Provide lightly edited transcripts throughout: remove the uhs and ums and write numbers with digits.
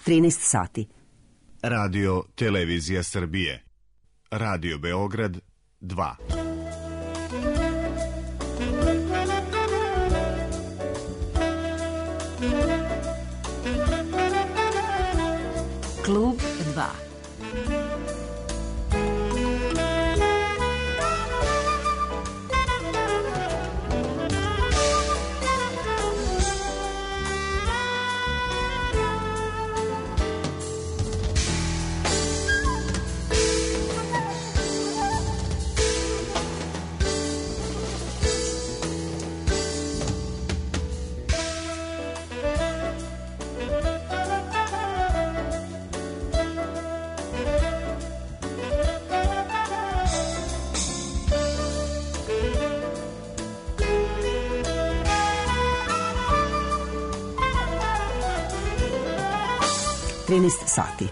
13 sati. Radio Televizija Srbije. Radio Beograd 2. Klub 2. Sati.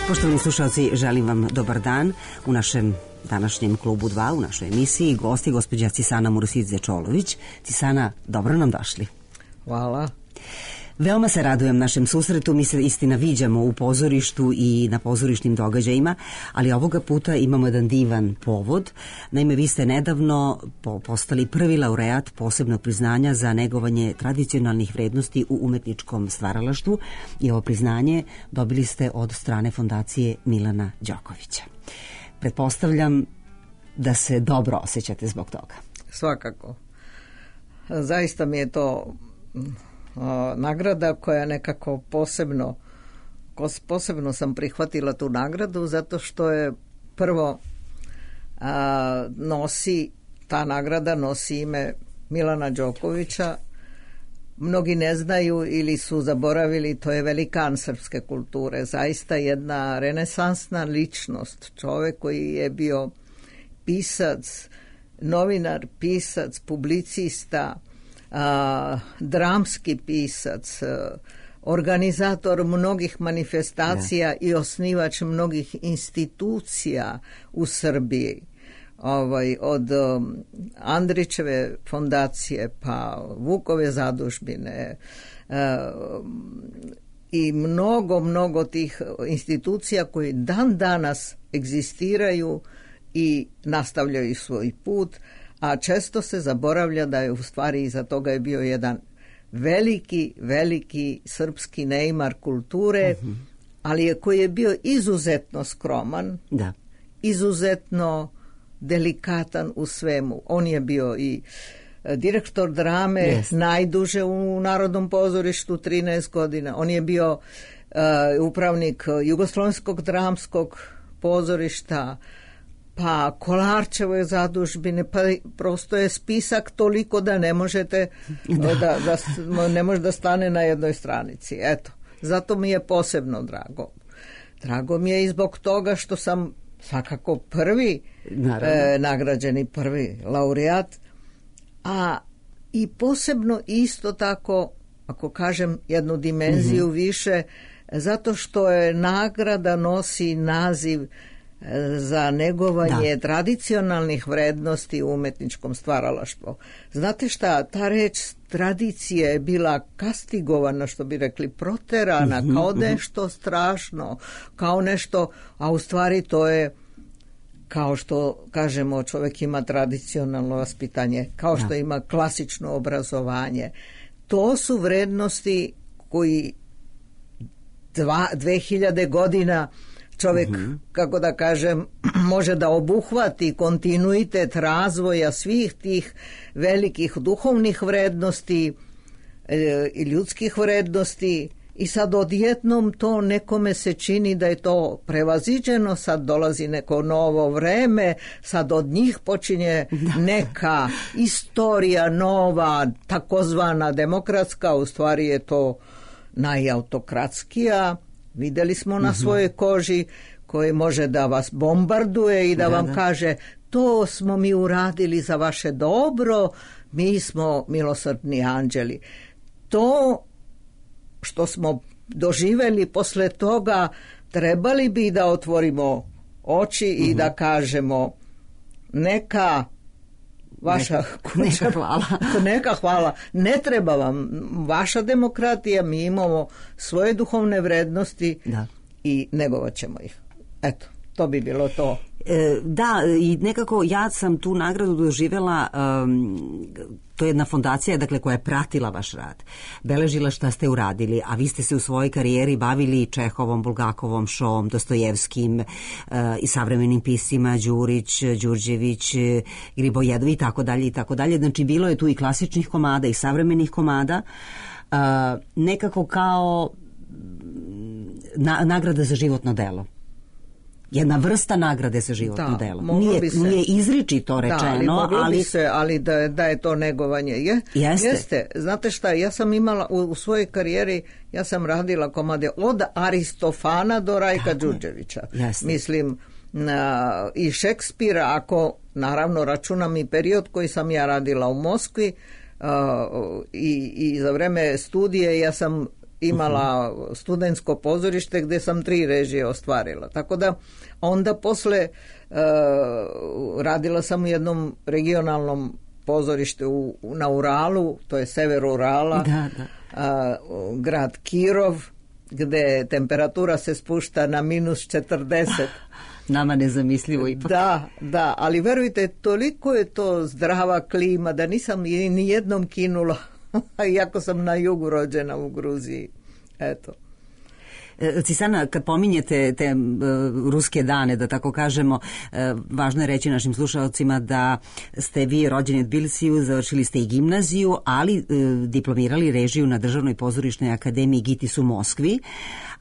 Poštovani slušalci, želim vam dobar dan u našem današnjem klubu 2, u našoj emisiji. Gosti gospođa Cisana Murusidze-Čolović. Cisana, dobro nam došli. Hvala. Veoma se radujem našem susretu, mi se istina viđamo u pozorištu i na pozorišnim događajima, ali ovoga puta imamo jedan divan povod. Naime, vi ste nedavno postali prvi laureat posebnog priznanja za negovanje tradicionalnih vrednosti u umetničkom stvaralaštvu i ovo priznanje dobili ste od strane fondacije Milana Đokovića. Pretpostavljam da se dobro osjećate zbog toga. Svakako. Zaista mi je to nagrada koja nekako posebno sam prihvatila tu nagradu zato što je prvo ta nagrada nosi ime Milana Đokovića. Mnogi ne znaju ili su zaboravili, to je velikan srpske kulture, zaista jedna renesansna ličnost, čovjek koji je bio pisac, novinar, pisac, publicista, dramski pisac, organizator mnogih manifestacija i osnivač mnogih institucija u Srbiji, od Andrićeve fondacije pa Vukove zadužbine i mnogo tih institucija koji dan danas egzistiraju i nastavljaju svoj put, a često se zaboravlja da je u stvari iza toga je bio jedan veliki srpski neimar kulture, ali koji je bio izuzetno skroman, izuzetno delikatan u svemu. On je bio i direktor drame najduže u Narodnom pozorištu, 13 godina. On je bio upravnik Jugoslovenskog dramskog pozorišta, pa Kolarčevoj zadužbine, pa prosto je spisak toliko da ne možete ne može da stane na jednoj stranici. Eto, zato mi je posebno drago. Drago mi je i zbog toga što sam svakako prvi nagrađeni, prvi laureat, a i posebno isto tako, ako kažem jednu dimenziju više, zato što je nagrada nosi naziv za negovanje tradicionalnih vrednosti u umetničkom stvaralaštvu. Znate šta, ta reč tradicija je bila kastigovana, što bi rekli, proterana, kao nešto strašno, kao nešto, a u stvari to je, kao što kažemo, čovjek ima tradicionalno vaspitanje, kao što ima klasično obrazovanje. To su vrednosti koji 2000 godina čovjek, kako da kažem, može da obuhvati kontinuitet razvoja svih tih velikih duhovnih vrednosti i ljudskih vrednosti, i sad odjednom to nekome se čini da je to prevaziđeno, sad dolazi neko novo vreme, sad od njih počinje neka istorija nova, takozvana demokratska, u stvari je to najautokratskija. Vidjeli smo na svojoj koži, koji može da vas bombarduje i da vam kaže to smo mi uradili za vaše dobro, mi smo milosrdni anđeli. To što smo doživjeli posle toga, trebali bi da otvorimo oči i da kažemo neka vaša kuća. Neka hvala. Neka hvala. Ne treba vam vaša demokratija, mi imamo svoje duhovne vrednosti i negovat ćemo ih. Eto, to bi bilo to. Da, i nekako ja sam tu nagradu doživjela, to je jedna fondacija, dakle, koja je pratila vaš rad, beležila šta ste uradili, a vi ste se u svojoj karijeri bavili Čehovom, Bulgakovom, Šoom, Dostojevskim i savremenim piscima, Đurić, Đurđević, Gribojedovi i tako dalje i tako dalje. Znači, bilo je tu i klasičnih komada i savremenih komada, nekako kao nagrada za životno delo. Jedna vrsta nagrade za životno delo. Nije izričito rečeno, ali da je to negovanje. Jeste. Znate šta, ja sam imala u svojoj karijeri, ja sam radila komade od Aristofana do Rajka Đurđevića. Mislim, i Šekspira, ako naravno računam i period koji sam ja radila u Moskvi, i za vreme studije ja sam imala studentsko pozorište gdje sam 3 režije ostvarila. Tako da onda posle radila sam u jednom regionalnom pozorištu na Uralu, to je sever Urala, grad Kirov, gdje temperatura se spušta na -40. Nama nezamislivo ipak. Da, ali verujte, toliko je to zdrava klima da nisam ni jednom kinula, iako sam na jugu rođena u Gruziji. Eto. Cisana, kad pominjete te ruske dane, da tako kažemo, važno je reći našim slušalcima da ste vi rođeni u Tbilisiju, završili ste i gimnaziju, ali diplomirali režiju na Državnoj pozorišnoj akademiji GITIS u Moskvi,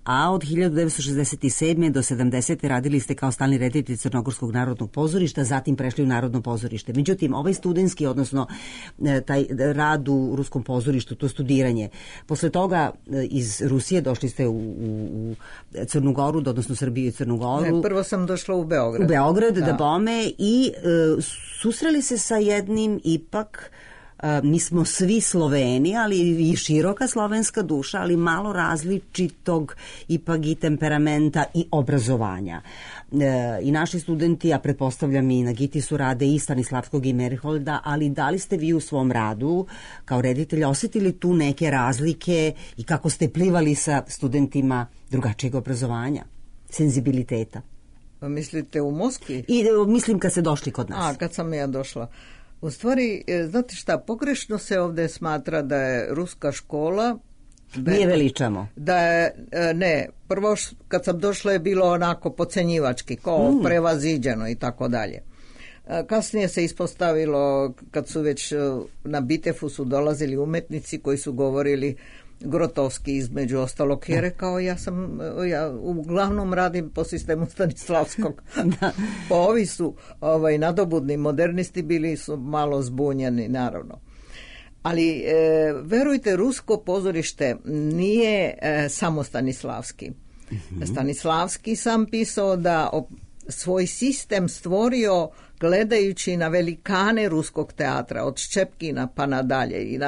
a od 1967. do 70. radili ste kao stalni reditelj Crnogorskog narodnog pozorišta, zatim prešli u Narodno pozorište. Međutim, ovaj studentski, odnosno taj rad u Ruskom pozorištu, to studiranje, posle toga iz Rusije došli ste u Crnu Goru, odnosno Srbiju i Crnu Goru. Ne, prvo sam došla u Beograd. U Beograd, da bome, i susreli se sa jednim ipak, mi smo svi Sloveni, ali i široka slovenska duša, ali malo različitog ipak i temperamenta i obrazovanja. I naši studenti, a pretpostavljam i na GITIS-u, rade i Stanislavskog i Meriholda, ali da li ste vi u svom radu kao reditelj osjetili tu neke razlike i kako ste plivali sa studentima drugačijeg obrazovanja, senzibiliteta? Mislite u Moskvi? I mislim kad ste došli kod nas. Kad sam ja došla. U stvari, znate šta, pogrešno se ovdje smatra da je ruska škola... Nije veličamo. Ne, prvo kad sam došla je bilo onako podcenjivački, kao prevaziđeno i tako dalje. Kasnije se ispostavilo, kad su već na Bitefu su dolazili umetnici koji su govorili Grotovski između ostalog, je rekao ja uglavnom radim po sistemu Stanislavskog. Pa ovi su nadobudni modernisti bili su malo zbunjeni, naravno. Ali verujte, rusko pozorište nije samo Stanislavski. Stanislavski sam pisao da svoj sistem stvorio gledajući na velikane ruskog teatra, od Ščepkina pa nadalje.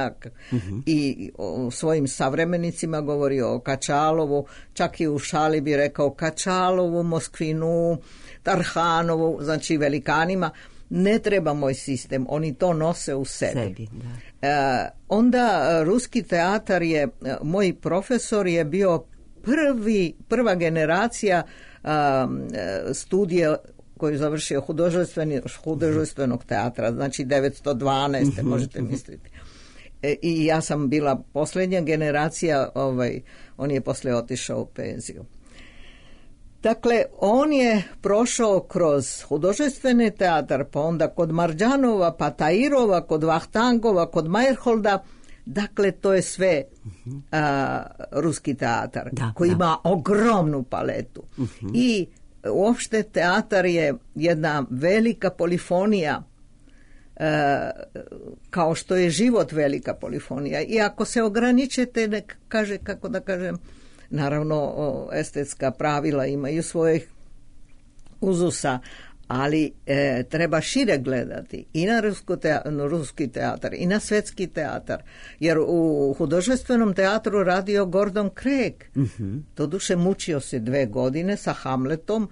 I o svojim savremenicima govorio o Kačalovu, čak i u šali bi rekao Kačalovu, Moskvinu, Tarhanovu, znači velikanima. Ne treba moj sistem, oni to nose u sebi. Onda ruski teatar je, moj profesor je bio prva generacija studija koji je završio hudожественog teatra, znači 912. možete misliti. I ja sam bila posljednja generacija, on je poslije otišao u penziju. Dakle, on je prošao kroz hudожествeni teatar, pa onda kod Marđanova, pa Tairova, kod Vahtangova, kod Meyerholda. Dakle, to je sve ruski teatar koji ima ogromnu paletu. I uopšte teatar je jedna velika polifonija, kao što je život velika polifonija. I ako se ograničite, kako da kažem, naravno estetska pravila imaju svojih uzusa, ali treba šire gledati i na ruski teatar i na svetski teatar, jer u hudожественom teatru radio Gordon Craig. Doduše mučio se 2 godine sa Hamletom,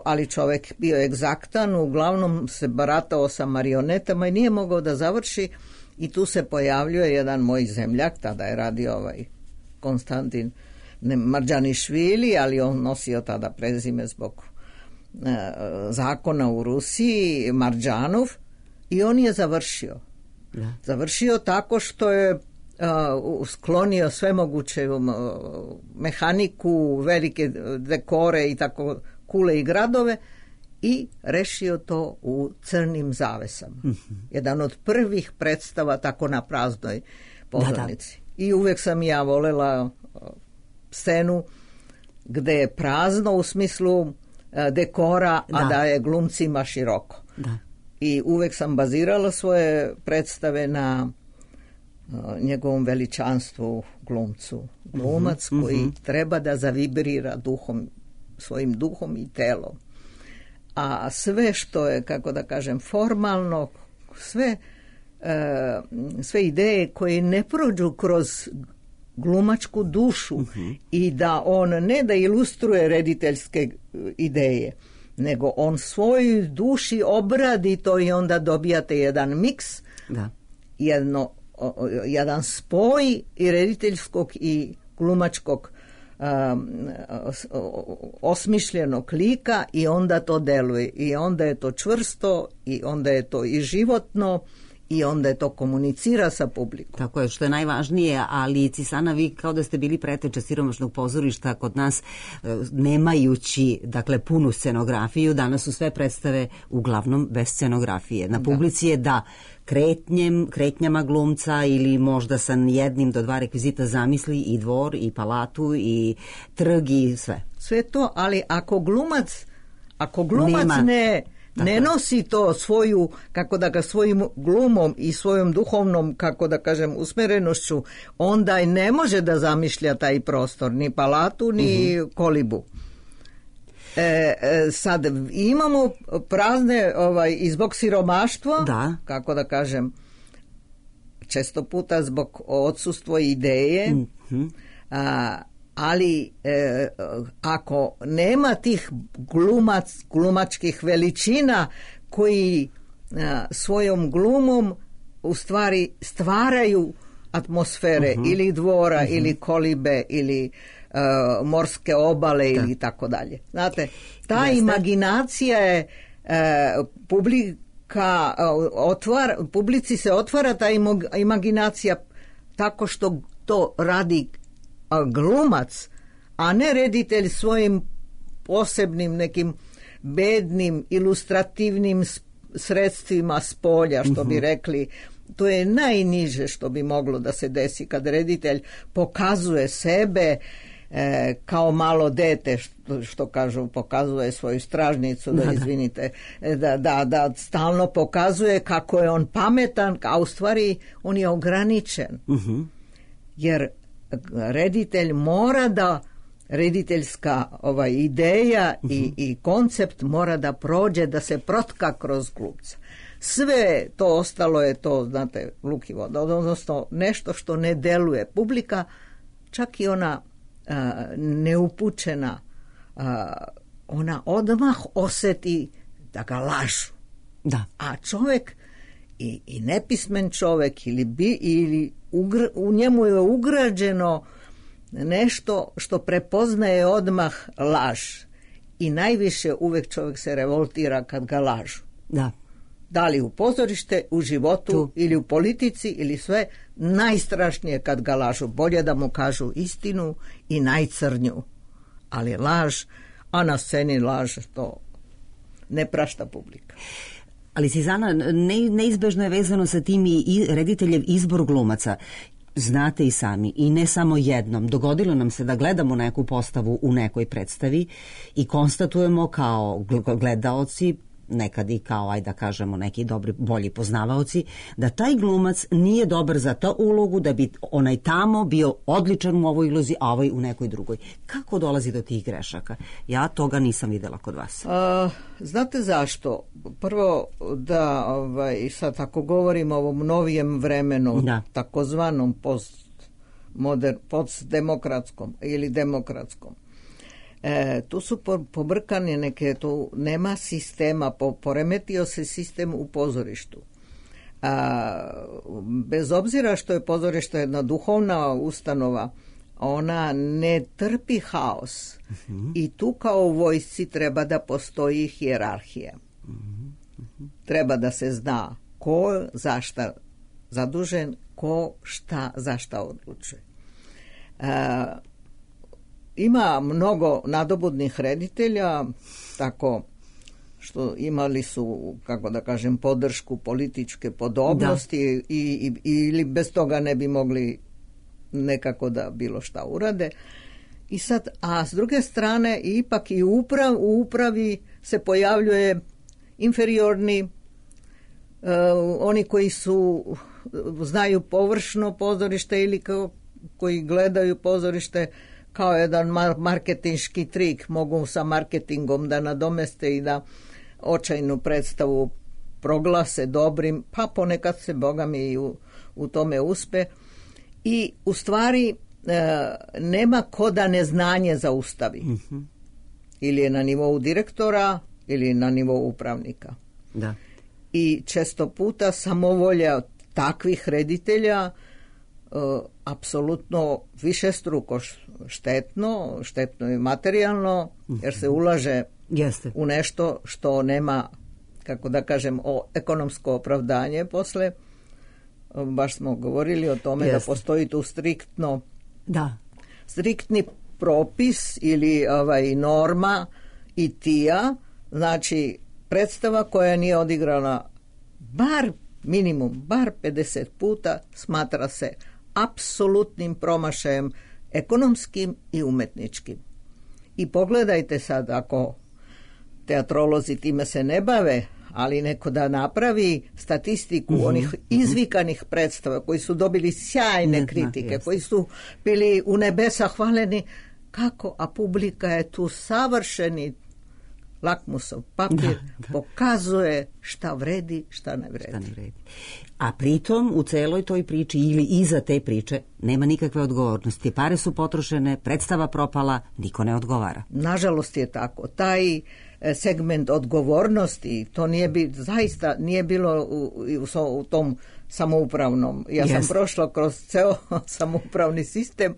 ali čovjek bio egzaktan, uglavnom se baratao sa marionetama i nije mogao da završi, i tu se pojavljuje jedan moj zemljak, tada je radio Konstantin Marđanišvili, ali on nosio tada prezime zbog zakona u Rusiji, Marđanov, i on je završio. Da. Završio tako što je sklonio sve moguće mehaniku, velike dekore i tako kule i gradove i rešio to u crnim zavesama. Jedan od prvih predstava tako na praznoj pozornici. Da. I uvek sam ja volela scenu gde je prazno u smislu dekora, a da je glumcima široko. Da. I uvek sam bazirala svoje predstave na njegovom veličanstvu glumcu. Glumac koji treba da zavibrira duhom, svojim duhom i telom. A sve što je, kako da kažem, formalno, sve ideje koje ne prođu kroz glumačku dušu i da on ne da ilustruje rediteljske ideje, nego on svojoj duši obradi to i onda dobijate jedan miks, jedan spoj i rediteljskog i glumačkog osmišljenog lika, i onda to deluje i onda je to čvrsto i onda je to i životno i onda je to komunicira sa publikom. Tako je, što je najvažnije, ali Cisana, vi kao da ste bili preteče siromašnog pozorišta kod nas, nemajući, dakle, punu scenografiju. Danas su sve predstave uglavnom bez scenografije. Na publici je da kretnjama glumca ili možda sa 1 do 2 rekvizita zamisli i dvor i palatu i trg i sve. Sve to, ali ako glumac ne nosi to svoju, kako da ga svojim glumom i svojom duhovnom, kako da kažem, usmerenošću, onda i ne može da zamišlja taj prostor, ni palatu, ni kolibu. Sad imamo prazne i zbog siromaštva, kako da kažem, često puta zbog odsustva ideje, ali ako nema tih glumačkih veličina koji svojom glumom u stvari stvaraju atmosfere ili dvora ili kolibe ili morske obale ili tako dalje. Znate, ta imaginacija je publici se otvara ta imaginacija tako što to radi glumac, a ne reditelj svojim posebnim nekim bednim ilustrativnim sredstvima s polja, što bi rekli. To je najniže što bi moglo da se desi kad reditelj pokazuje sebe kao malo dete, što kažu, pokazuje svoju stražnicu, izvinite, da stalno pokazuje kako je on pametan, a u stvari on je ograničen. Jer reditelj mora da, rediteljska ideja i koncept mora da prođe, da se protka kroz glumca. Sve to ostalo je to, znate, lukivo, odnosno nešto što ne deluje. Publika, čak i ona neupućena, ona odmah oseti da ga lažu. Da. A čovjek i nepismen čovjek ili u njemu je ugrađeno nešto što prepoznaje odmah laž. I najviše uvek čovjek se revoltira kad ga lažu. Da. Da li u pozorište, u životu ili u politici ili sve, najstrašnije kad ga lažu. Bolje da mu kažu istinu i najcrnju. Ali laž, a na sceni laž, to ne prašta publika. Ali Cizana, neizbežno je vezano sa tim i rediteljev izbor glumaca. Znate i sami, i ne samo jednom, dogodilo nam se da gledamo neku postavu u nekoj predstavi i konstatujemo kao gledaoci, nekad i kao, ajde da kažemo, neki dobri, bolji poznavaoci, da taj glumac nije dobar za ta ulogu, da bi onaj tamo bio odličan u ovoj ulozi, a ovaj u nekoj drugoj. Kako dolazi do tih grešaka? Ja toga nisam videla kod vas. Znate zašto? Prvo da, sad ako govorimo o ovom novijem vremenu, takozvanom postdemokratskom ili demokratskom, tu su pobrkane neke, tu nema sistema, poremetio se sistem u pozorištu. Bez obzira što je pozorište jedna duhovna ustanova, ona ne trpi haos. I tu kao u vojsci treba da postoji hijerarhija. Treba da se zna ko za šta zadužen, ko šta za šta odlučuje. Ima mnogo nadobudnih reditelja, tako što imali su, kako da kažem, podršku političke podobnosti ili bez toga ne bi mogli nekako da bilo šta urade. I sad, a s druge strane ipak i u upravi se pojavljuje inferiorni, oni koji znaju površno pozorište ili koji gledaju pozorište kao jedan marketinški trik, mogu sa marketingom da nadomeste i da očajnu predstavu proglase dobrim, pa ponekad se bogami i u tome uspe. I u stvari nema ko da neznanje zaustavi. Ili je na nivou direktora ili na nivou upravnika. Da. I često puta samovolja takvih reditelja apsolutno višestruko štetno i materijalno, jer se ulaže u nešto što nema, kako da kažem, ekonomsko opravdanje posle. Baš smo govorili o tome da postoji tu striktni propis ili norma i tija, znači predstava koja nije odigrana bar 50 puta smatra se apsolutnim promašajem ekonomskim i umetničkim. I pogledajte sad, ako teatrolozi time se ne bave, ali neko da napravi statistiku onih izvikanih predstava koji su dobili sjajne kritike, koji su bili u nebesa hvaleni, kako, a publika je tu savršeni lakmusov papir, pokazuje šta vredi, šta ne vredi. A pritom u celoj toj priči ili iza te priče nema nikakve odgovornosti. Pare su potrošene, predstava propala, niko ne odgovara. Nažalost je tako. Taj segment odgovornosti, to zaista nije bilo u tom samoupravnom. Ja sam prošla kroz ceo samoupravni sistem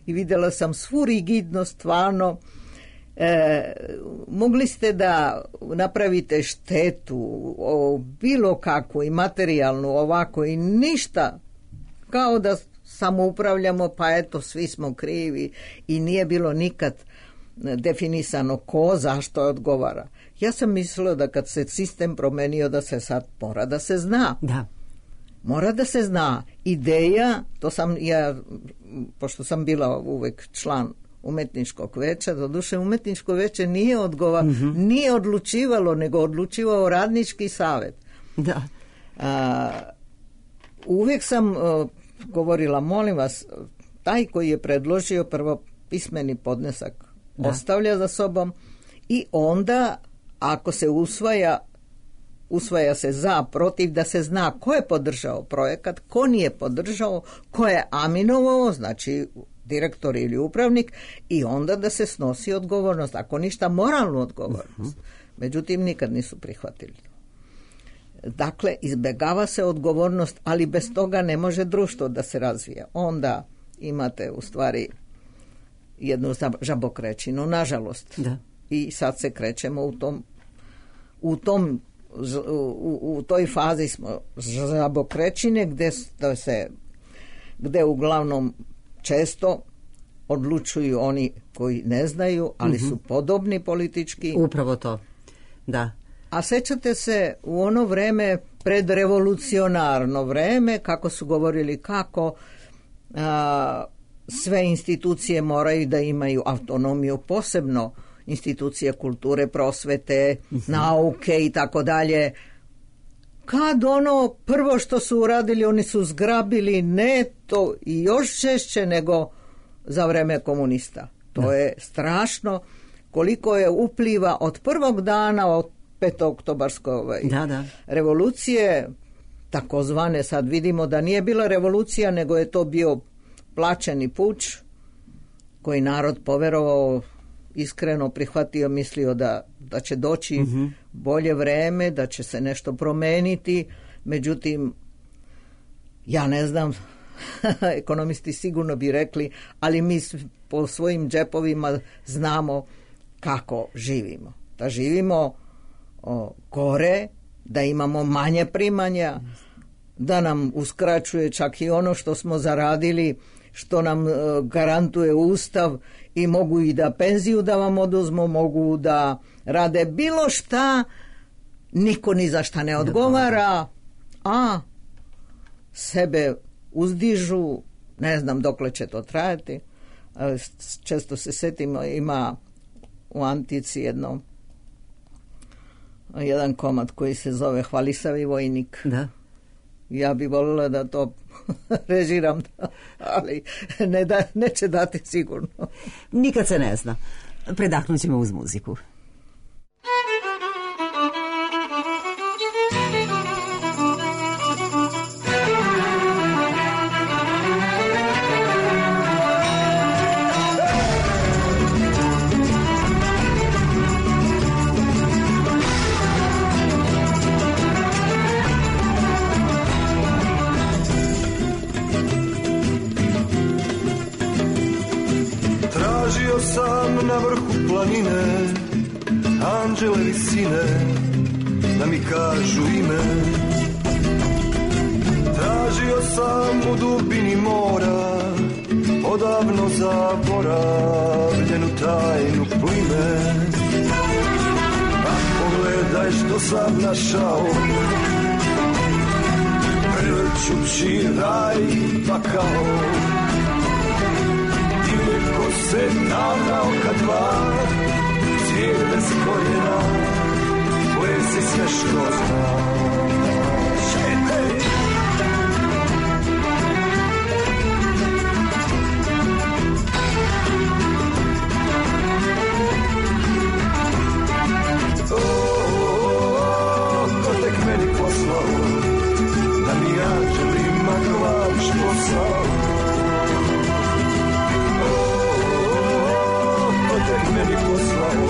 i vidjela sam svu rigidnost, stvarno. Mogli ste da napravite štetu bilo kakvu i materijalnu ovako i ništa, kao da samoupravljamo, pa eto svi smo krivi i nije bilo nikad definisano ko zašto odgovara. Ja sam mislila da kad se sistem promenio da se sad mora da se zna. Mora da se zna. Ideja, to sam ja, pošto sam bila uvek član umetničkog veća, doduše umetničko veće nije odlučivalo, nego odlučivao radnički savet. Uvijek sam govorila, molim vas, taj koji je predložio prvo pismeni podnesak ostavlja za sobom i onda ako se usvaja se za, protiv, da se zna ko je podržao projekat, ko nije podržao, ko je aminovao, znači direktor ili upravnik, i onda da se snosi odgovornost, ako ništa moralnu odgovornost. Međutim, nikad nisu prihvatili. Dakle, izbjegava se odgovornost, ali bez toga ne može društvo da se razvija. Onda imate u stvari jednu žabokrećinu, nažalost. I sad se krećemo u toj fazi smo žabokrećine gde uglavnom često odlučuju oni koji ne znaju, ali su podobni politički. Upravo to, da. A sećate se u ono vreme, predrevolucionarno vreme, kako su govorili kako sve institucije moraju da imaju autonomiju, posebno institucije kulture, prosvete, nauke i tako dalje. Kad ono prvo što su uradili, oni su zgrabili neto i još češće nego za vreme komunista. To je strašno koliko je upliva od prvog dana od 5. oktobarske revolucije, takozvane, sad vidimo da nije bila revolucija, nego je to bio plaćeni puč koji narod poverovao, iskreno prihvatio, mislio da će doći bolje vreme, da će se nešto promeniti. Međutim, ja ne znam, ekonomisti sigurno bi rekli, ali mi po svojim džepovima znamo kako živimo. Da živimo gore, da imamo manje primanja, da nam uskraćuje čak i ono što smo zaradili, što nam garantuje Ustav, i mogu i da penziju da vam oduzmu, mogu da rade bilo šta, niko ni za šta ne odgovara, a sebe uzdižu, ne znam dokle će to trajati. Često se setimo, ima u antici jedan komad koji se zove Hvalisavi vojnik. Da. Ja bi voljela da to režiram, ali neće dati sigurno. Nikad se ne zna. Predahnut ćemo uz muziku. Sam na vrhu planine, anđele visine, da mi kažu ime. Tražio sam u dubini mora, odavno zaboravljenu tajnu plime. A pogledaj što sam našao, prevrćući raj pakao. Ko se davna oka dva, svijet bez korijena, plesi sve što zna. Šetej! Ko tek meni poslao, da mi anđelima glaviš posao. Meni poslao,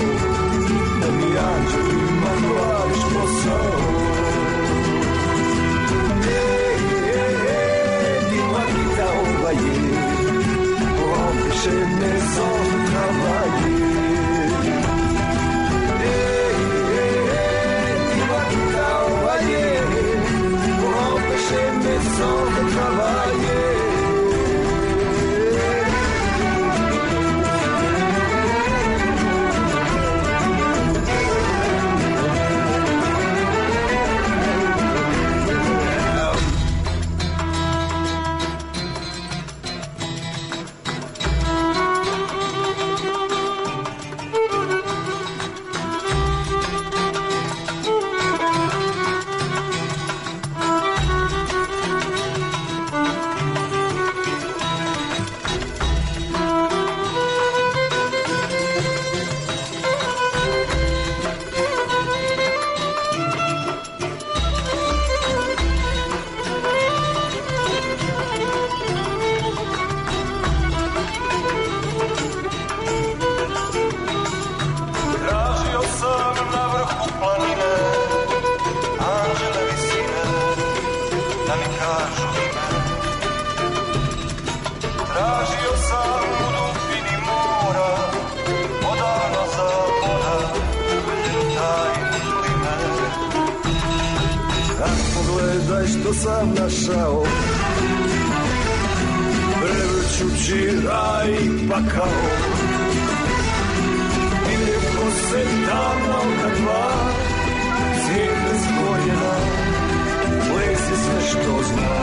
da mi anđelima glaviš posao. Ti magita ova je, on više ne zove travaje. Ti magita ova je, on više ne zove travaje. Što sam našao, prevrćući raj pakao. I lijepo se davna oka dva, svijet bez korijena, plesi sve što zna.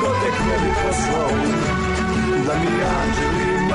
Ko tek ne bi poslao, da mi anđelima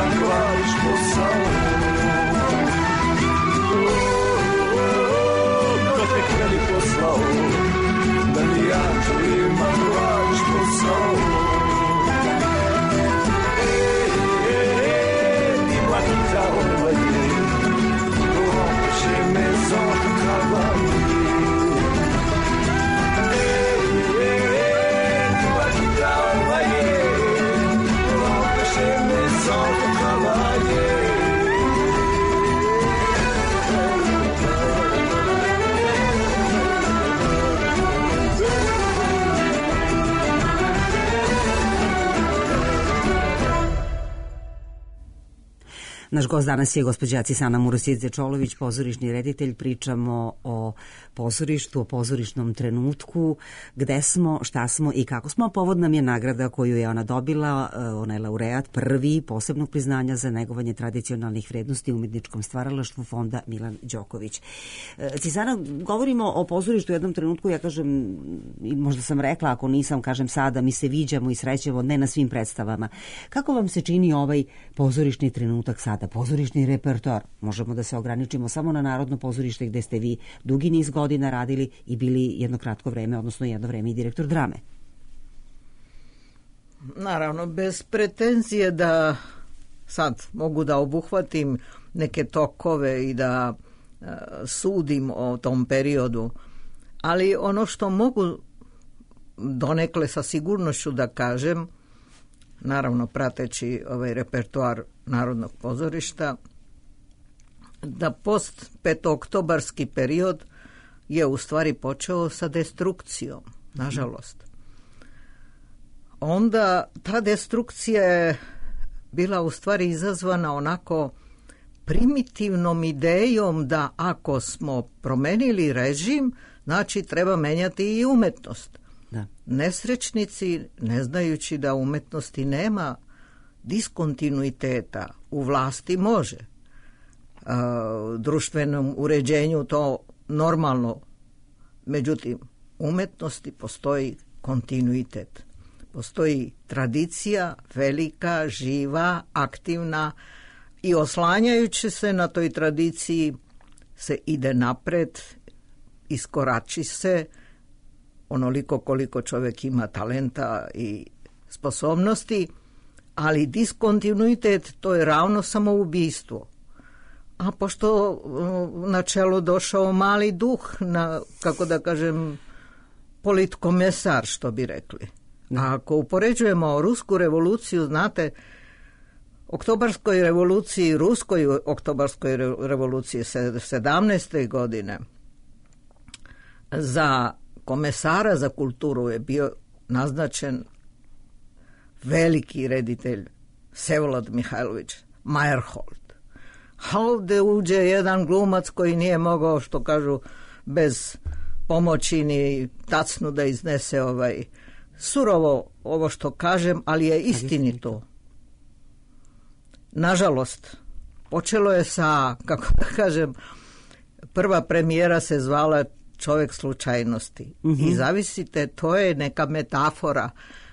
Naš gost danas je gospođa Cisana Murosidze-Čolović, pozorišni reditelj. Pričamo o pozorištu, o pozorišnom trenutku, gde smo, šta smo i kako smo. Povod nam je nagrada koju je ona dobila, ona je laureat prvi posebnog priznanja za negovanje tradicionalnih vrednosti u umetničkom stvaralaštvu Fonda Milan Đoković. Cisana, govorimo o pozorištu u jednom trenutku, ja kažem, i možda sam rekla, ako nisam, kažem sada, mi se viđamo i srećemo, ne na svim predstavama. Kako vam se čini ovaj pozorišni trenutak sada, pozorišni repertoar? Možemo da se ograničimo samo na Narodno pozorište gde ste vi dugi niz godina radili i bili jedno kratko vreme, odnosno jedno vreme i direktor drame. Naravno, bez pretenzije da sad mogu da obuhvatim neke tokove i da sudim o tom periodu, ali ono što mogu donekle sa sigurnošću da kažem, naravno prateći ovaj repertoar Narodnog pozorišta, da post petooktobarski period je u stvari počeo sa destrukcijom, nažalost. Onda ta destrukcija je bila u stvari izazvana onako primitivnom idejom da ako smo promenili režim, znači treba menjati i umetnost. Da. Nesrećnici, ne znajući da umetnosti nema diskontinuiteta, u vlasti može. Društvenom uređenju to normalno, međutim, umetnosti postoji kontinuitet. Postoji tradicija, velika, živa, aktivna i oslanjajući se na toj tradiciji se ide napred, iskorači se onoliko koliko čovjek ima talenta i sposobnosti, ali diskontinuitet to je ravno samoubistvo. A pošto na čelo došao mali duh, kako da kažem, politkomesar, što bi rekli. A ako upoređujemo rusku revoluciju, znate, oktobarskoj revoluciji, ruskoj oktobarskoj revoluciji 17. godine, za komesara za kulturu je bio naznačen veliki reditelj Vsevolod Mihajlović Meyerhold. A ovdje uđe jedan glumac koji nije mogao, što kažu, bez pomoći ni tacnu da iznese surovo ovo što kažem, ali je istinito. Nažalost, počelo je sa, kako da kažem, prva premijera se zvala Čovjek slučajnosti. I zavisite, to je neka metafora.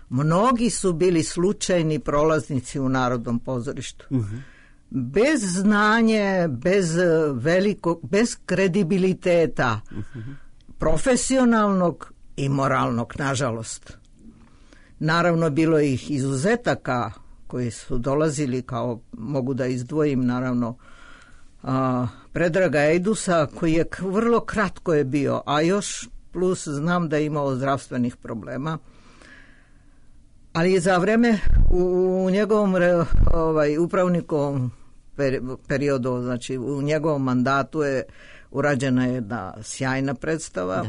Mnogi su bili slučajni prolaznici u Narodnom pozorištu. Bez znanje, bez kredibiliteta, profesionalnog i moralnog, nažalost. Naravno, bilo je ih izuzetaka koji su dolazili, kao mogu da izdvojim, naravno, Predraga Ejdusa, koji je vrlo kratko je bio, a još plus znam da je imao zdravstvenih problema. Ali za vreme u njegovom upravnikom periodu, znači u njegovom mandatu je urađena jedna sjajna predstava.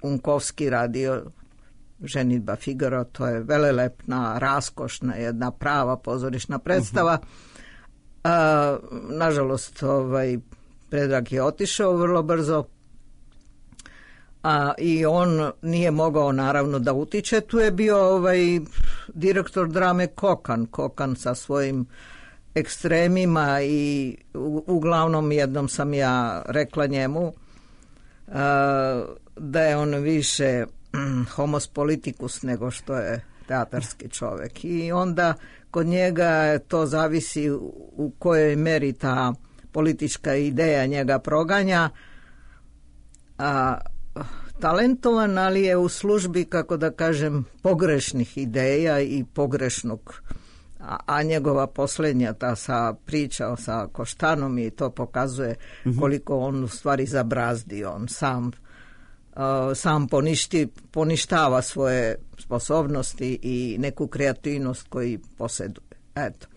Unkovski radio Ženidba Figaro, to je velelepna, raskošna, jedna prava pozorišna predstava. Nažalost, Predrag je otišao vrlo brzo, i on nije mogao naravno da utiče. Tu je bio direktor drame Kokan sa svojim ekstremima i uglavnom jednom sam ja rekla njemu da je on više homos politicus nego što je teatarski čovjek. I onda kod njega to zavisi u kojoj meri ta politička ideja njega proganja. Talentovan, ali je u službi, kako da kažem, pogrešnih ideja i pogrešnog, a njegova posljednja ta priča sa Koštanom i to pokazuje koliko on u stvari zabrazdi. On sam poništava svoje sposobnosti i neku kreativnost koju posjeduje. Eto.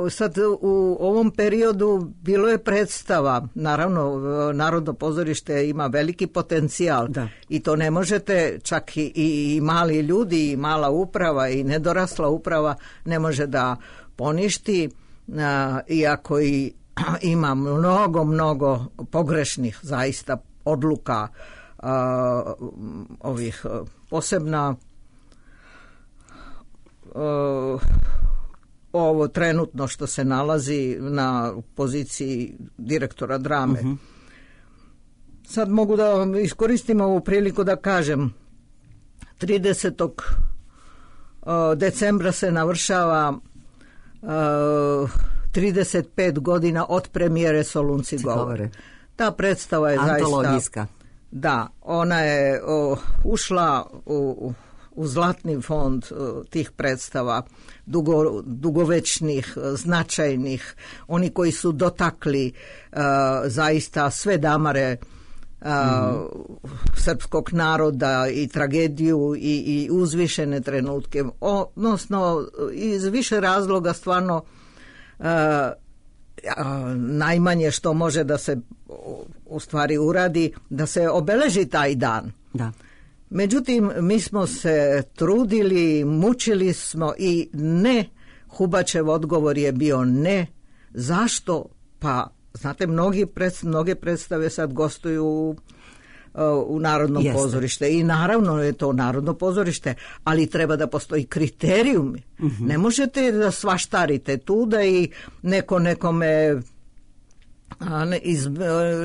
Sad u ovom periodu bilo je predstava, naravno Narodno pozorište ima veliki potencijal i to ne možete, čak i mali ljudi i mala uprava i nedorasla uprava ne može da poništi, iako i ima mnogo pogrešnih zaista odluka, ovih posebna ovo trenutno što se nalazi na poziciji direktora drame. Sad mogu da iskoristim ovu priliku da kažem 30. decembra se navršava 35 godina od premijere Solunci govore. Ta predstava je antologijska. Da, ona je ušla u zlatni fond tih predstava, dugovečnih, značajnih, oni koji su dotakli zaista sve damare srpskog naroda i tragediju i uzvišene trenutke, odnosno iz više razloga stvarno najmanje što može da se u stvari uradi, da se obeleži taj dan. Da. Međutim, mi smo se trudili, mučili smo i ne, Hubačev odgovor je bio ne. Zašto? Pa, znate, mnoge predstave sad gostuju u Narodnom pozorište i naravno je to Narodno pozorište, ali treba da postoji kriterijumi. Ne možete da svaštarite tu da i neko nekome iz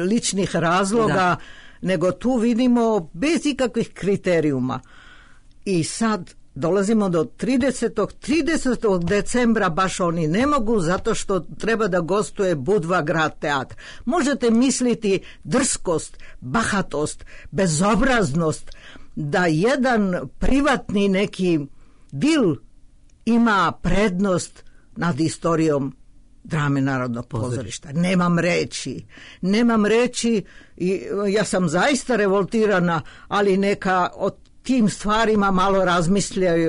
ličnih razloga, nego tu vidimo bez ikakvih kriterijuma. I sad dolazimo do 30. decembra, baš oni ne mogu zato što treba da gostuje Budva grad teatr. Možete misliti drskost, bahatost, bezobraznost da jedan privatni neki dil ima prednost nad istorijom drame Narodnog pozorišta. Nemam reći i ja sam zaista revoltirana, ali neka o tim stvarima malo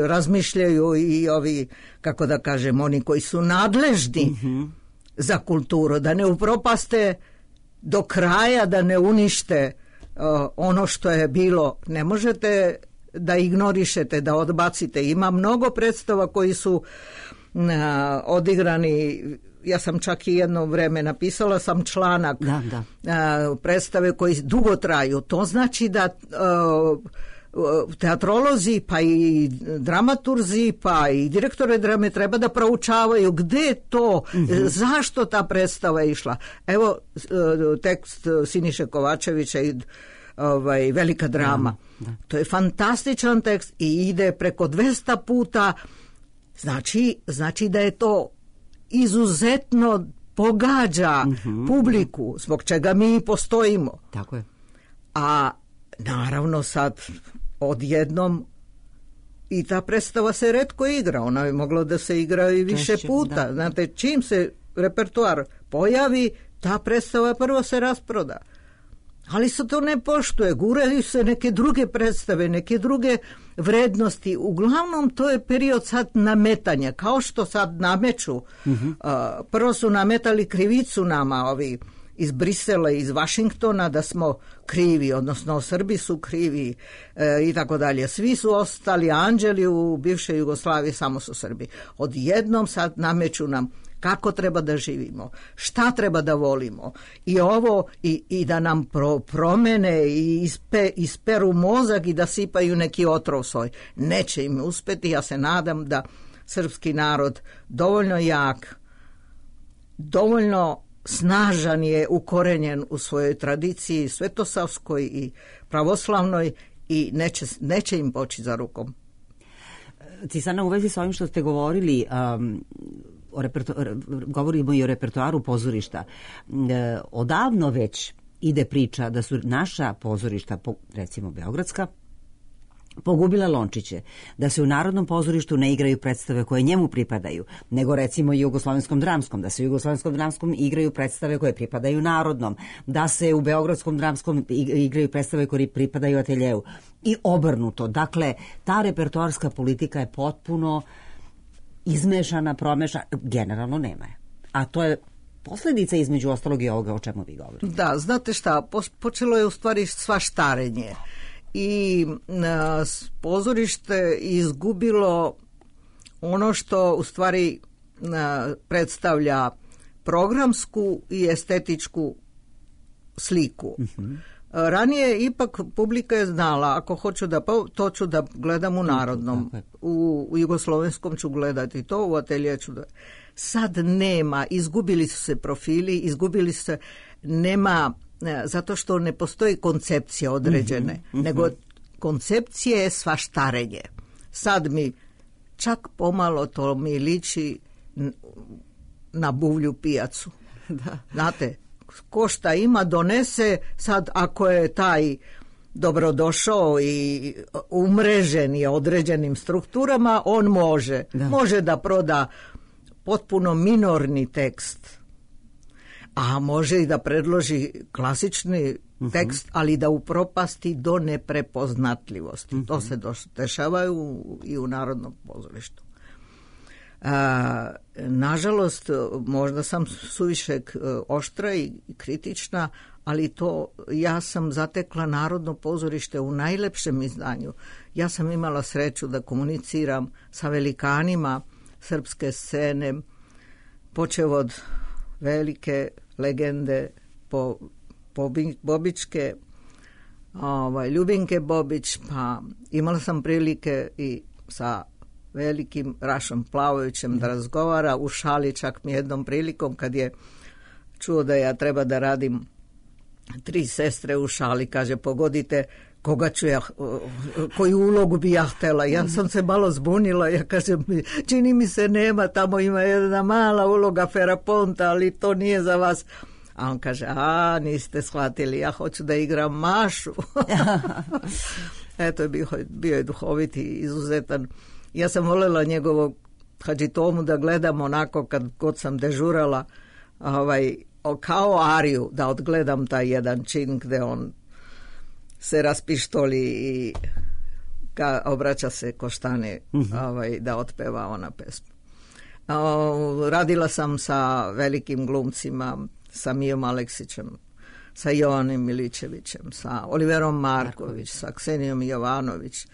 razmišljaju i ovi, kako da kažem, oni koji su nadležni za kulturu, da ne upropaste do kraja, da ne unište ono što je bilo. Ne možete da ignorišete, da odbacite. Ima mnogo predstava koji su odigrani. Ja sam čak i jedno vreme napisala sam članak predstave koji dugo traju. To znači da teatrolozi pa i dramaturzi pa i direktore drame treba da proučavaju gde je to, zašto ta predstava je išla. Evo tekst Siniše Kovačevića i Velika drama. To je fantastičan tekst i ide preko 200 puta. Znači da je to izuzetno pogađa publiku, zbog čega mi i postojimo. Tako je. A naravno sad odjednom i ta predstava se retko igra, ona je mogla da se igra i više puta. Da. Znate, čim se repertoar pojavi, ta predstava prvo se rasproda. Ali se to ne poštuje, guraju se neke druge predstave, neke druge vrednosti. Uglavnom to je period sad nametanja, kao što sad nameću. Prvo su nametali krivicu nama ovi iz Brisela, iz Vašingtona, da smo krivi, odnosno Srbi su krivi i tako dalje. Svi su ostali anđeli u bivšoj Jugoslaviji, samo su Srbi. Odjednom sad nameću nam kako treba da živimo, šta treba da volimo i ovo i da nam promene i isperu mozak i da sipaju neki otrov svoj. Neće im uspeti, ja se nadam da srpski narod dovoljno jak, dovoljno snažan je, ukorenjen u svojoj tradiciji svetosavskoj i pravoslavnoj i neće im poći za rukom. Cisana, u vezi sa ovim što ste govorili, govorimo i o repertoaru pozorišta. Odavno već ide priča da su naša pozorišta, recimo beogradska, pogubila lončiće, da se u Narodnom pozorištu ne igraju predstave koje njemu pripadaju, nego recimo i Jugoslovenskom dramskom, da se u Jugoslovenskom dramskom igraju predstave koje pripadaju Narodnom, da se u Beogradskom dramskom igraju predstave koje pripadaju Ateljeu i obrnuto. Dakle, ta repertoarska politika je potpuno izmešana, promešana, generalno nema je. A to je posljedica između ostalog i ovoga o čemu vi govorite. Da, znate šta, počelo je u stvari svaštarenje i pozorište izgubilo ono što u stvari predstavlja programsku i estetičku sliku. Ranije ipak publika je znala, ako hoću to ću da gledam u Narodnom, u Jugoslovenskom ću gledati to, u Atelje ću da... Sad nema, izgubili su se profili, nema, zato što ne postoji koncepcija određene, nego koncepcija je svaštarenje. Sad mi čak pomalo to mi liči na buvlju pijacu. Da. Znate, ko šta ima donese, sad ako je taj dobrodošao i umrežen je određenim strukturama, on može da proda potpuno minorni tekst, a može i da predloži klasični tekst, ali da upropasti do neprepoznatljivosti. To se dešava i u Narodnom pozorištu. Nažalost, možda sam suviše oštra i kritična, ali to ja sam zatekla Narodno pozorište u najlepšem izdanju. Ja sam imala sreću da komuniciram sa velikanima srpske scene, počev od velike legende Bobičke, Ljubinke Bobić, pa imala sam prilike i sa velikim Rašom Plavovićem da razgovara u šali, čak mi jednom prilikom kad je čuo da ja treba da radim 3 sestre u šali, kaže pogodite koga ću ja, koju ulogu bi ja htjela. Ja sam se malo zbunila, ja kažem, čini mi se nema, tamo ima jedna mala uloga Feraponta, ali to nije za vas. A on kaže, niste shvatili, ja hoću da igram Mašu. Eto, bio je duhoviti, izuzetan. Ja sam voljela njegovog Hadžitomu da gledam onako kad god sam dežurala, kao ariju, da odgledam taj jedan čin gde on se raspištoli i obraća se Koštane da otpeva ona pesmu. Radila sam sa velikim glumcima, sa Mijom Aleksićem, sa Jovanom Milićevićem, sa Oliverom Marković, sa Ksenijom Jovanović,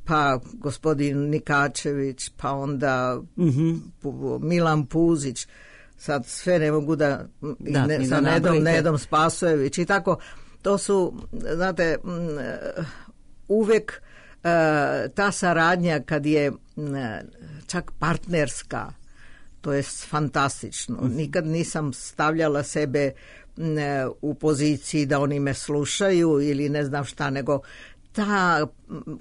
pa gospodin Nikačević, pa onda Milan Puzić, sad sve ne mogu sa Nedom Spasojević i tako. To su, znate, uvek ta saradnja kad je čak partnerska, to je fantastično. Nikad nisam stavljala sebe u poziciji da oni me slušaju ili ne znam šta, nego ta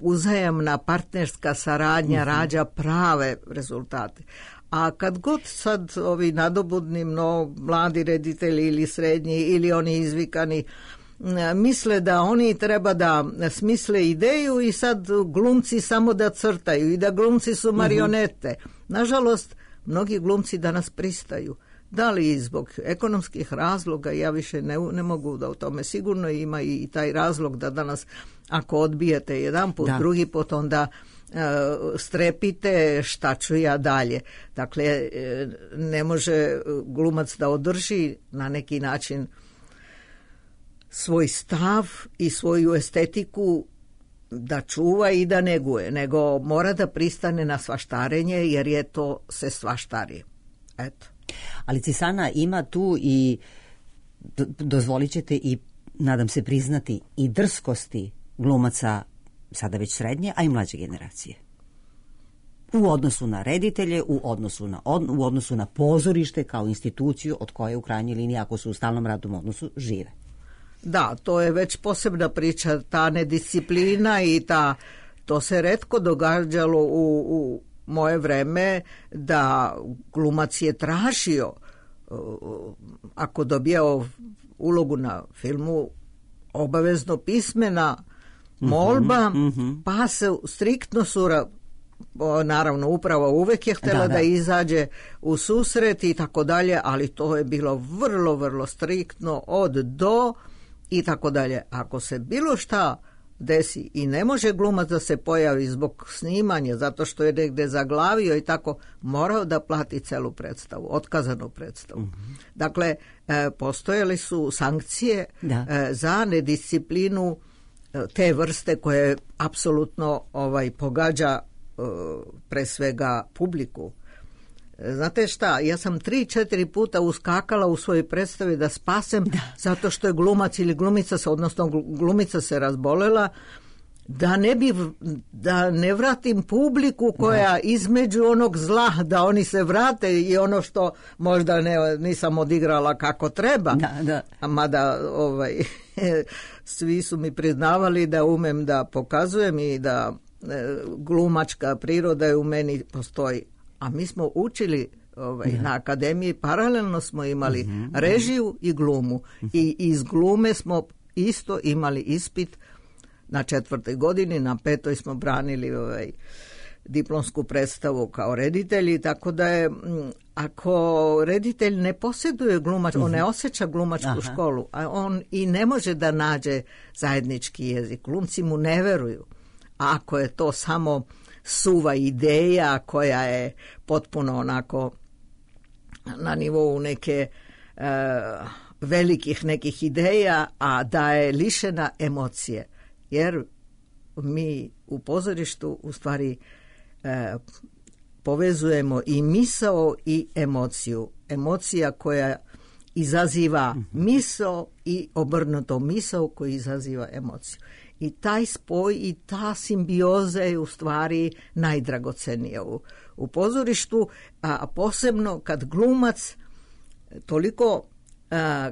uzajamna partnerska saradnja rađa prave rezultate. A kad god sad ovi nadobudni mladi reditelji ili srednji ili oni izvikani misle da oni treba da smisle ideju i sad glumci samo da crtaju i da glumci su marionete. Nažalost, mnogi glumci danas pristaju. Da li zbog ekonomskih razloga, ja više ne mogu da o tome, sigurno ima i taj razlog da danas ako odbijete jedan put, drugi put, onda strepite šta ću ja dalje. Dakle, ne može glumac da održi na neki način svoj stav i svoju estetiku da čuva i da neguje, nego mora da pristane na svaštarenje jer je to se svaštari. Eto. Ali Cisana ima tu i, dozvolit ćete i, nadam se priznati, i drskosti glumaca sada već srednje, a i mlađe generacije. U odnosu na reditelje, u odnosu na pozorište kao instituciju od koje u krajnjoj liniji, ako su u stalnom radnom odnosu, žive. Da, to je već posebna priča, ta nedisciplina i to se retko događalo u moje vreme da glumac je tražio, ako dobijao ulogu na filmu, obavezno pismena molba, pa se striktno naravno upravo uvek je htjela da izađe u susret i tako dalje, ali to je bilo vrlo, vrlo striktno od do i tako dalje. Ako se bilo šta desi i ne može glumac da se pojavi zbog snimanja, zato što je negde zaglavio i tako, morao da plati celu predstavu, otkazanu predstavu. Dakle, postojali su sankcije za nedisciplinu te vrste koje apsolutno pogađa pre svega publiku. Znate šta, ja sam 3-4 puta uskakala u svojoj predstavi da spasem, zato što je glumac ili glumica, odnosno glumica se razbolela, da ne vratim publiku koja između onog zla, da oni se vrate i ono što možda nisam odigrala kako treba. Mada svi su mi priznavali da umem da pokazujem i da glumačka priroda je u meni postoji. A mi smo učili na akademiji, paralelno smo imali režiju i glumu. I iz glume smo isto imali ispit na 4. godini, na 5. smo branili diplomsku predstavu kao reditelji, tako da je, ako reditelj ne posjeduje glumač, on ne osjeća glumačku školu, a on i ne može da nađe zajednički jezik. Glumci mu ne veruju. A ako je to samo suva ideja koja je potpuno onako na nivou neke velikih nekih ideja, a da je lišena emocije. Jer mi u pozorištu u stvari povezujemo i misao i emociju. Emocija koja izaziva misao i obrnuto misao koja izaziva emociju. I taj spoj i ta simbioza je u stvari najdragocenija u pozorištu, a posebno kad glumac toliko,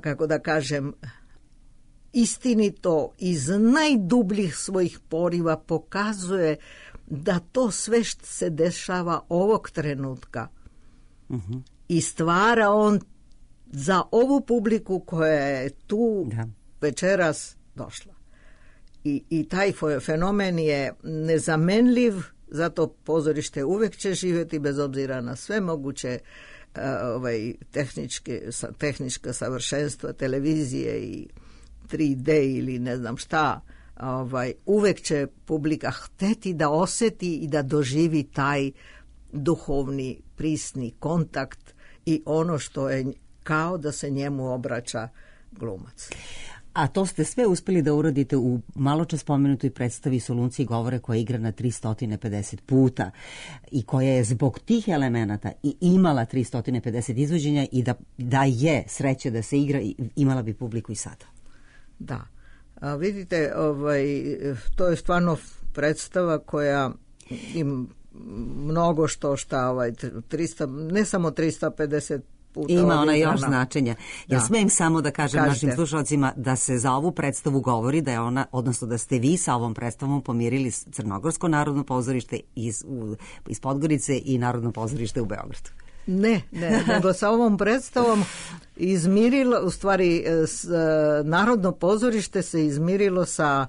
kako da kažem, istinito iz najdubljih svojih poriva pokazuje da to sve što se dešava ovog trenutka i stvara on za ovu publiku koja je tu večeras došla. I taj fenomen je nezamenljiv, zato pozorište uvek će živjeti bez obzira na sve moguće tehnička savršenstva televizije i 3D ili ne znam šta. Uvek će publika hteti da osjeti i da doživi taj duhovni prisni kontakt i ono što je kao da se njemu obraća glumac. A to ste sve uspjeli da uradite u maločas spomenutoj predstavi Solunci govore koja je igrana 350 puta i koja je zbog tih elemenata i imala 350 izvođenja i da je sreće da se igra, imala bi publiku i sada. Da. A vidite, to je stvarno predstava koja im mnogo šta 300, ne samo 350 puta. Ima ona još značenja. Ja smijem samo da kažem našim slušalcima da se za ovu predstavu govori da je ona, odnosno da ste vi sa ovom predstavom pomirili Crnogorsko narodno pozorište iz Podgorice i Narodno pozorište u Beogradu. Ne, nego sa ovom predstavom izmirilo, u stvari Narodno pozorište se izmirilo sa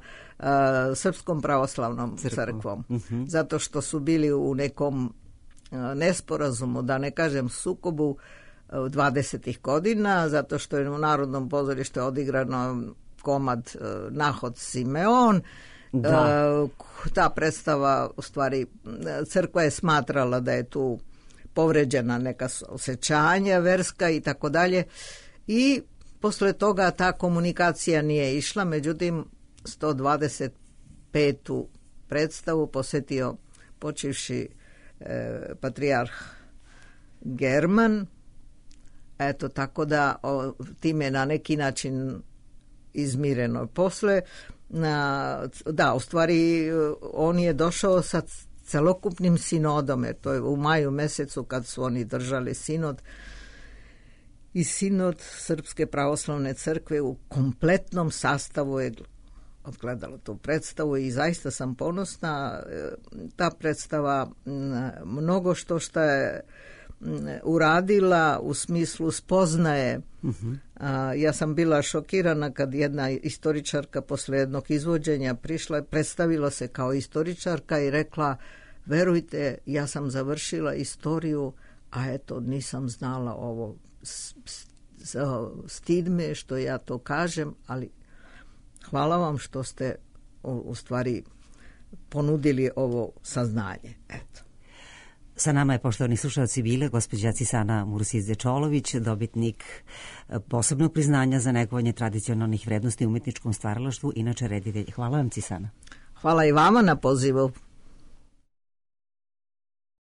Srpskom pravoslavnom crkvom. Zato što su bili u nekom nesporazumu, da ne kažem sukobu 20. godina, zato što je u Narodnom pozorištu odigrano komad Nahod Simeon. Ta predstava, u stvari, crkva je smatrala da je tu povređena neka osjećanja verska i tako dalje. I posle toga ta komunikacija nije išla, međutim 125. predstavu posjetio počivši patrijarh German. Eto, tako da time na neki način izmireno. Posle, u stvari on je došao sa celokupnim sinodom, jer to je u maju mesecu kad su oni držali sinod, i sinod Srpske pravoslavne crkve u kompletnom sastavu je odgledalo tu predstavu i zaista sam ponosna. Ta predstava mnogo što je uradila u smislu spoznaje. Ja sam bila šokirana kad jedna istoričarka posle jednog izvođenja prišla, predstavila se kao istoričarka i rekla: verujte, ja sam završila istoriju, a eto nisam znala ovo. Stid me što ja to kažem, ali hvala vam što ste u stvari ponudili ovo saznanje. Eto. Sa nama je, poštovani slušalci, bile gospođa Cisana Mursić-Dečolović, dobitnik posebnog priznanja za negovanje tradicionalnih vrednosti u umetničkom stvaralaštvu, inače reditelj. Hvala vam, Cisana. Hvala i vama na pozivu.